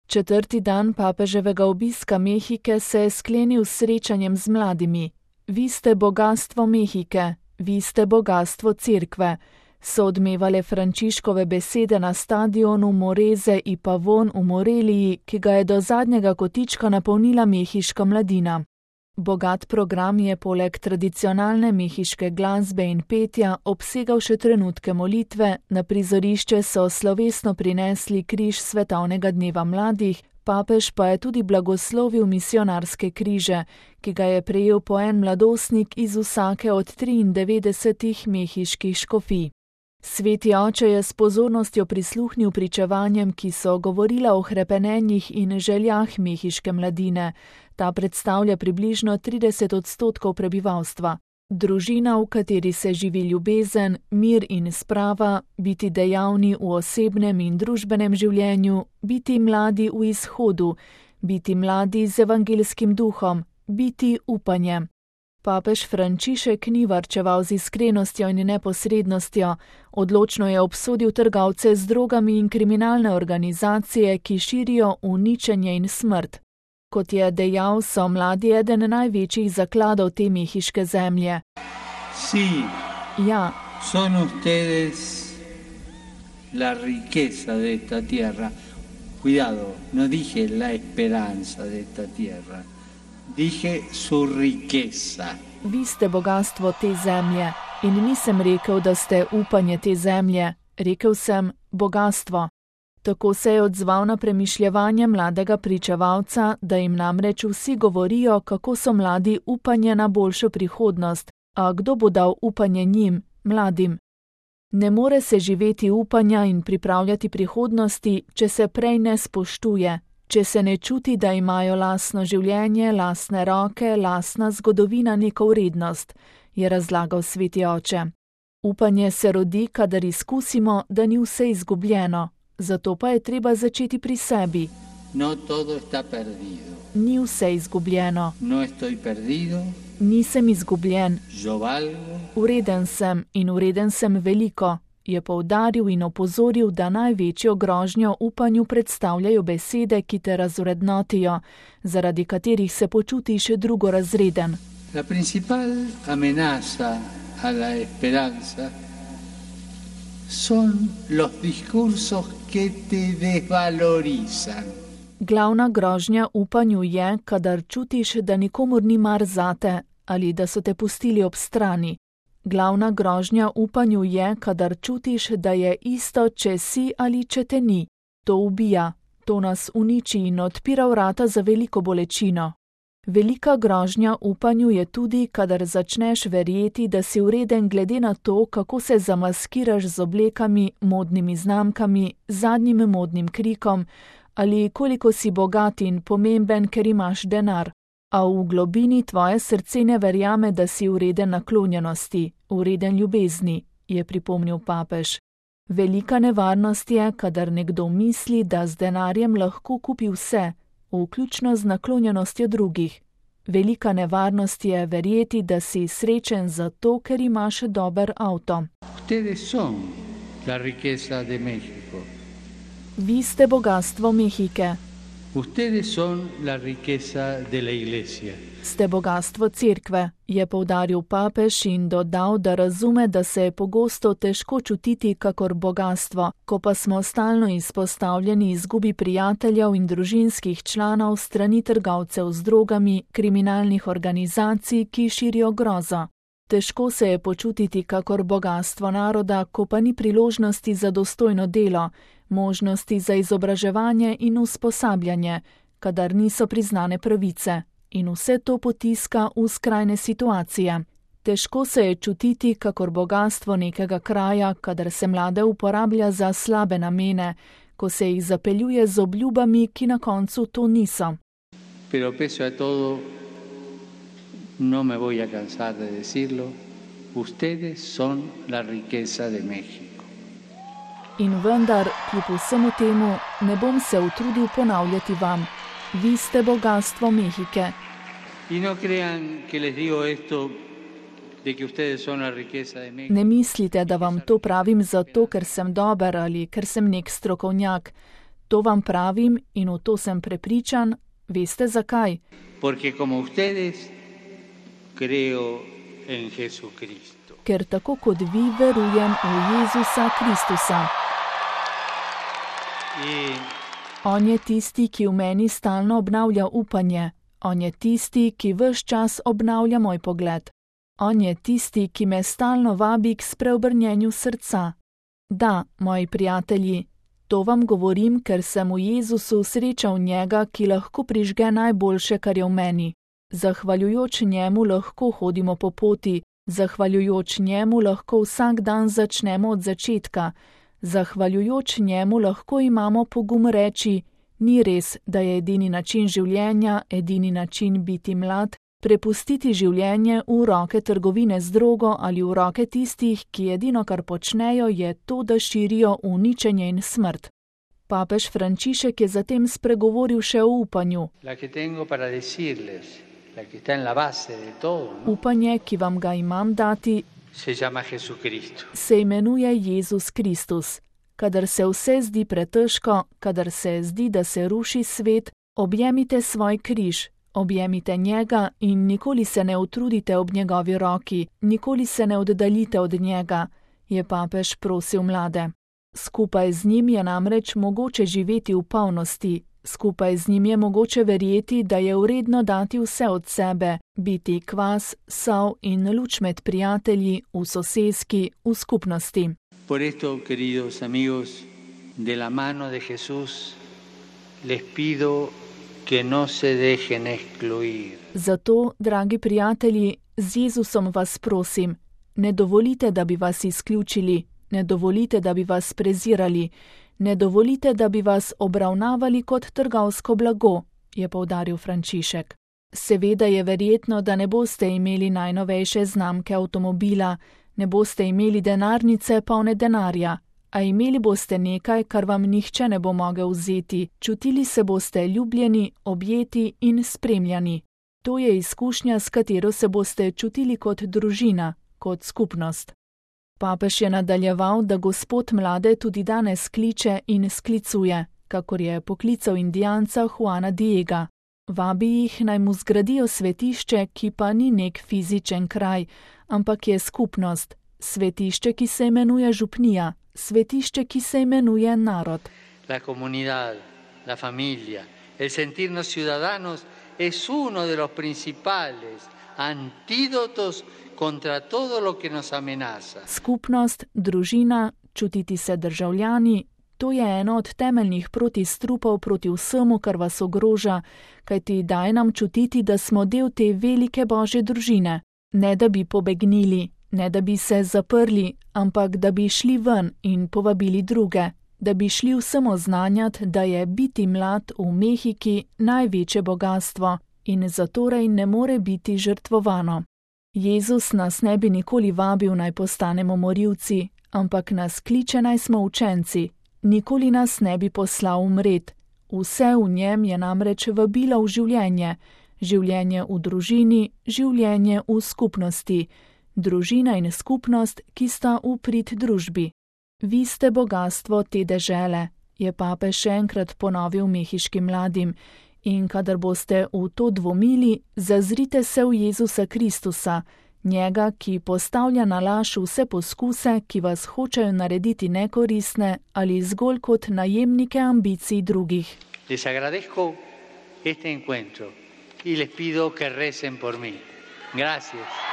4. dan papeževega obiska Mehike se je sklenil s srečanjem z mladimi. Vi ste bogastvo Mehike, vi ste bogastvo cerkve, so odmevale Frančiškove besede na stadionu Moreze i Pavon v Moreliji, ki ga je do zadnjega kotička napolnila mehiška mladina. Bogat program je poleg tradicionalne mehiške glasbe in petja obsegal še trenutke molitve, na prizorišče so slovesno prinesli križ svetovnega dneva mladih, papež pa je tudi blagoslovil misionarske križe, ki ga je prejel po en mladostnik iz vsake od 93 mehiških škofij. Sveti oče je s pozornostjo prisluhnil pričevanjem, ki so govorila o hrepenenjih in željah mehiške mladine. Ta predstavlja približno 30% prebivalstva. Družina, v kateri se živi ljubezen, mir in sprava, biti dejavni v osebnem in družbenem življenju, biti mladi v izhodu, biti mladi z evangelskim duhom, biti upanje. Papež Frančišek ni varčeval z iskrenostjo in neposrednostjo, odločno je obsodil trgovce z drogami in kriminalne organizacije, ki širijo uničenje in smrt. Kot je dejal, so mladi eden največjih zakladov te mehiške zemlje. Sí, ja, son ustedes la riqueza de esta tierra. Cuidado, no dije la esperanza de esta tierra. Dije su riqueza. Vi ste bogastvo te zemlje in nisem rekel, da ste upanje te zemlje, rekel sem bogastvo. Tako se je odzval na premišljevanje mladega pričevalca, da jim namreč vsi govorijo, kako so mladi upanje na boljšo prihodnost, a kdo bo dal upanje njim, mladim? Ne more se živeti upanja in pripravljati prihodnosti, če se prej ne spoštuje, če se ne čuti, da imajo lastno življenje, lastne roke, lastna zgodovina neko vrednost, je razlagal sveti oče. Upanje se rodi, kadar izkusimo, da ni vse izgubljeno, zato pa je treba začeti pri sebi. No todo está perdido. Ni vse izgubljeno. No estoy perdido. Nisem izgubljen. Yo valgo. Vreden sem in vreden sem veliko, je poudaril in opozoril, da največjo grožnjo upanju predstavljajo besede, ki te razvrednotijo, zaradi katerih se počutiš drugorazreden. La principal amenaza a la esperanza son los discursos que te desvalorizan. Glavna grožnja upanju je, kadar čutiš, da nikomur ni mar zate ali da so te pustili ob strani. Glavna grožnja upanju je, kadar čutiš, da je isto, če si ali če te ni. To ubija, to nas uniči in odpira vrata za veliko bolečino. Velika grožnja upanju je tudi, kadar začneš verjeti, da si vreden glede na to, kako se zamaskiraš z oblekami, modnimi znamkami, zadnjim modnim krikom, ali koliko si bogat in pomemben, ker imaš denar. A v globini tvoje srce ne verjame, da si vreden naklonjenosti, vreden ljubezni, je pripomnil papež. Velika nevarnost je, kadar nekdo misli, da z denarjem lahko kupi vse, vključno z naklonjenostjo drugih. Velika nevarnost je verjeti, da si srečen zato, ker imaš dober avto. Ustedes son la riqueza de México. Vi ste bogastvo Mehike. Ustedes son la riqueza de la iglesia. Ste bogastvo cerkve, je poudaril papež in dodal, da razume, da se je pogosto težko čutiti kakor bogastvo, ko pa smo stalno izpostavljeni izgubi prijateljev in družinskih članov strani trgovcev z drogami, kriminalnih organizacij, ki širijo grozo. Težko se je počutiti kakor bogastvo naroda, ko pa ni priložnosti za dostojno delo, možnosti za izobraževanje in usposabljanje, kadar niso priznane pravice. In vse to potiska v skrajne situacije. Težko se je čutiti kakor bogastvo nekega kraja, kadar se mlade uporablja za slabe namene, ko se jih zapeljuje z obljubami, ki na koncu to niso. Pero pese a todo, no me voy a cansar de decirlo, ustedes son la riqueza de México. In vendar, kljub vsemu temu, ne bom se utrudil ponavljati vam. Vi ste bogastvo Mehike. Y no crean que les digo esto de que ustedes son la riqueza de México. Ne mislite, da vam to pravim zato, ker sem dober ali ker sem nek strokovnjak. To vam pravim in v to sem prepričan, veste zakaj? Porque como ustedes creo en Jesucristo. Ker tako kot vi verujem v Jezusa Kristusa. On je tisti, ki v meni stalno obnavlja upanje. On je tisti, ki ves čas obnavlja moj pogled. On je tisti, ki me stalno vabi k spreobrnjenju srca. Da, moji prijatelji, to vam govorim, ker sem v Jezusu srečal njega, ki lahko prižge najboljše, kar je v meni. Zahvaljujoč njemu lahko hodimo po poti, zahvaljujoč njemu lahko vsak dan začnemo od začetka, zahvaljujoč njemu lahko imamo pogum reči, ni res, da je edini način življenja, edini način biti mlad, prepustiti življenje v roke trgovine z drogo ali v roke tistih, ki edino, kar počnejo, je to, da širijo uničenje in smrt. Papež Frančišek je zatem spregovoril še o upanju. Upanje, ki vam ga imam dati, se imenuje Jezus Kristus. Kadar se vse zdi pretežko, kadar se zdi, da se ruši svet, objemite svoj križ, objemite njega in nikoli se ne utrudite ob njegovi roki, nikoli se ne oddaljite od njega, je papež prosil mlade. Skupaj z njim je namreč mogoče živeti v polnosti, skupaj z njim je mogoče verjeti, da je vredno dati vse od sebe, biti kvas, sol in luč med prijatelji, v soseski, v skupnosti. Por esto, queridos amigos, de la mano de Jesús, les pido que no se dejen excluir. Zato, dragi prijatelji, z Jezusom vas prosim, ne dovolite, da bi vas izključili, ne dovolite, da bi vas prezirali, ne dovolite, da bi vas obravnavali kot trgovsko blago, je poudaril Frančišek. Seveda je verjetno, da ne boste imeli najnovejše znamke avtomobila, ne boste imeli denarnice polne denarja, a imeli boste nekaj, kar vam nihče ne bo mogel vzeti, čutili se boste ljubljeni, objeti in spremljani. To je izkušnja, s katero se boste čutili kot družina, kot skupnost. Papež je nadaljeval, da Gospod mlade tudi danes kliče in sklicuje, kakor je poklical Indijanca Juana Diega. Vabi jih, naj mu zgradijo svetišče, ki pa ni nek fizičen kraj, ampak je skupnost, svetišče, ki se imenuje župnija, svetišče, ki se imenuje narod. La comunidad, la familia, el sentirnos ciudadanos es uno de los principales antídotos contra todo lo que nos amenaza. Skupnost, družina, čutiti se državljani, to je eno od temeljnih protistrupov proti vsemu, kar vas ogroža, kajti daje nam čutiti, da smo del te velike Božje družine. Ne da bi pobegnili, ne da bi se zaprli, ampak da bi šli ven in povabili druge, da bi šli vsem oznanjati, da je biti mlad v Mehiki največje bogastvo in zatorej ne more biti žrtvovano. Jezus nas ne bi nikoli vabil, naj postanemo morilci, ampak nas kliče, naj smo učenci. Nikoli nas ne bi poslal umret. Vse v njem je namreč vabilo v življenje. Življenje v družini, življenje v skupnosti. Družina in skupnost, ki sta v prid družbi. Vi ste bogastvo te dežele, je papež še enkrat ponovil mehiškim mladim. In kadar boste v to dvomili, zazrite se v Jezusa Kristusa, njega, ki postavlja na laž vse poskuse, ki vas hočejo narediti nekoristne ali zgolj kot najemnike ambicij drugih. Les agradezco este encuentro y les pido que recen por mí. Gracias.